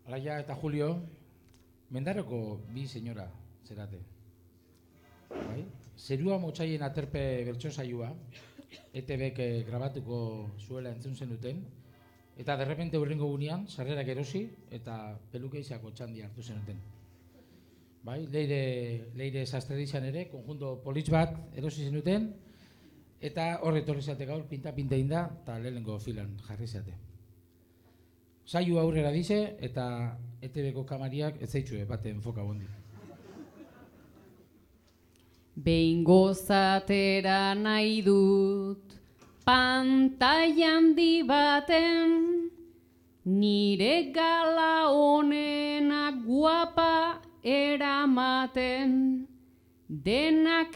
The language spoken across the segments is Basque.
Alaia eta Julio, Mendaroko bi senyora zerate. Bai? Zerua motxaien aterpe bertso saioa, ETBek grabatuko zuela entzun zenuten, eta derrepente hurrengo gunean, sarrerak erosi eta pelukeixako txandi hartu zenuten. Bai? Leire Sastrerizan ere, konjunto politx bat erosi zenuten, eta horre torri zate gaur, pinta-pinta inda, eta lehenengo filan jarri zate. Saio aurrera dize, eta ETBko kamariak ez zaitxue bate enfoka bondi. Behin gozatera nahi dut, pantaila handi baten, nire gala honenak guapa eramaten, denak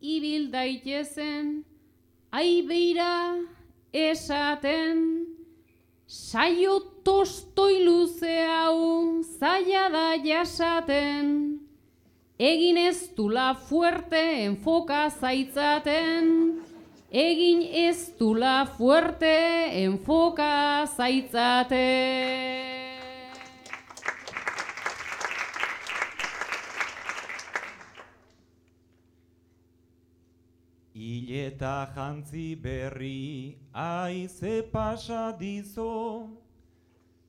ibil daitezen, aibeira esaten, saio tostoi luze hau zaila da jasaten, egin ez dula fuerte enfoka zaitzaten, egin ez dula fuerte enfoka zaitzaten. Ileta jantzi berri aize pasa dizo,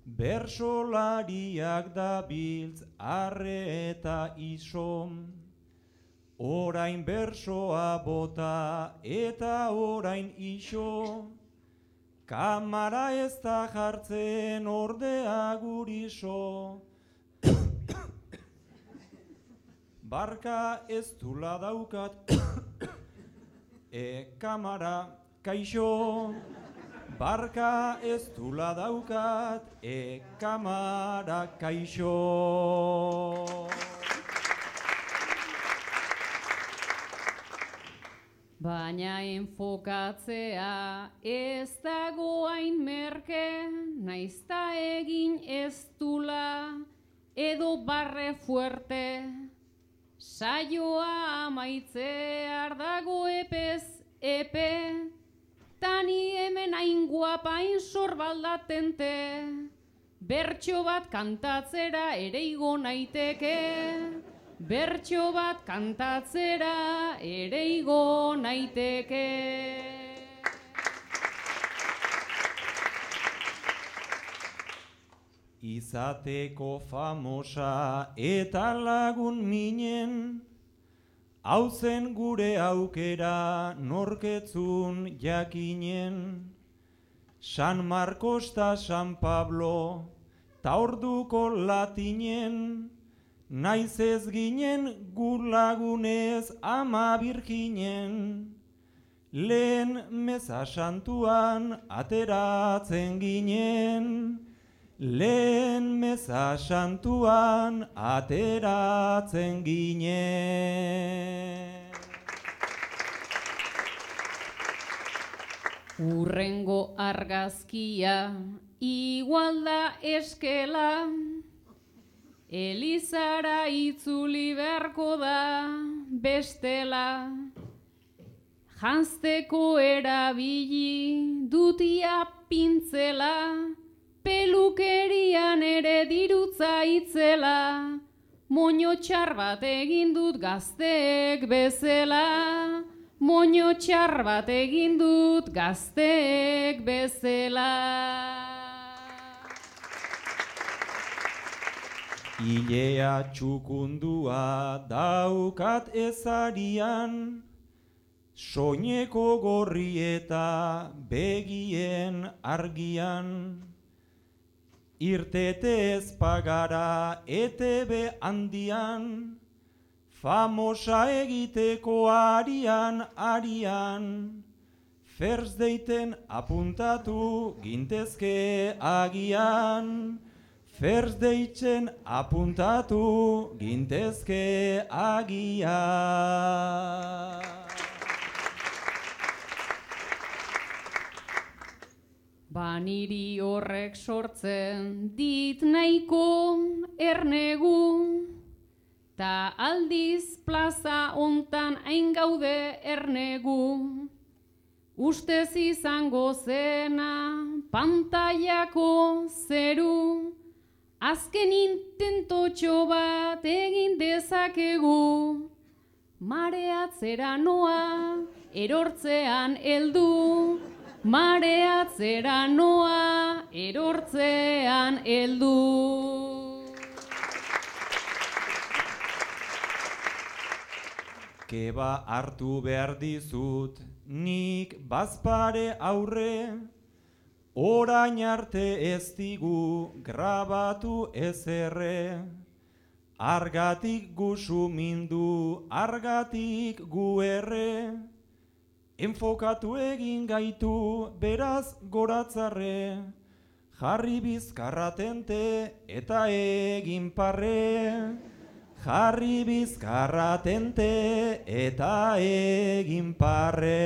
bersolariak dabiltz arre eta iso, orain bersoa bota eta orain iso, kamara ez da jartzen ordea guriso, barka ez dula daukat, kamara kaixo, barka ez dula daukat, kamara kaixo. Baina enfokatzea ez dago hain merke, naizta egin ez dula, edo barre fuerte, saioa amaitzear dago epez epe, tani hemen hain guapa hain sorbaldatente, bertso bat kantatzera ere igo naiteke, bertso bat kantatzera ere igo naiteke. Izateko famosa eta lagun minen, hau zen gure aukera norketzun jakinen. San Marcos ta San Pablo ta orduko latinen, naiz ez ginen gur lagunez ama birjinen. Lehen meza santuan ateratzen ginen, lehen meza santuan ateratzen ginen. Urrengo argazkia igual da eskela, Elizara itzuli beharko da bestela, janzteko erabili dutia pintzela, pelukerian ere dirutza itzela, moño txar bat egin dut gazteek bezala, moño txar bat egin dut gazteek bezela. Ilea txukundua daukat ezarian, soineko gorri eta begien argian. Irtete ez pagara ETB handian, famosa egiteko arian, First daten apuntatu gintezke agian, First daten apuntatu gintezke agian. Baniri horrek sortzen dit nahiko ernegu, ta aldiz plaza hontan hain gaude ernegu. Ustez izango zena pantailako zeru, azken intentotxo bat egin dezakegu, mareatzera noa, erortzean heldu, mareatzera noa, erortzean heldu. Keba hartu behar dizut, nik bazpare aurre, orain arte ez digu grabatu ezerre. Argatik gu sumindu, argatik gu erre, enfokatu egin gaitu, beraz goratzarre, jarri bizkarratente eta egin parre. Jarri bizkarratente eta egin parre.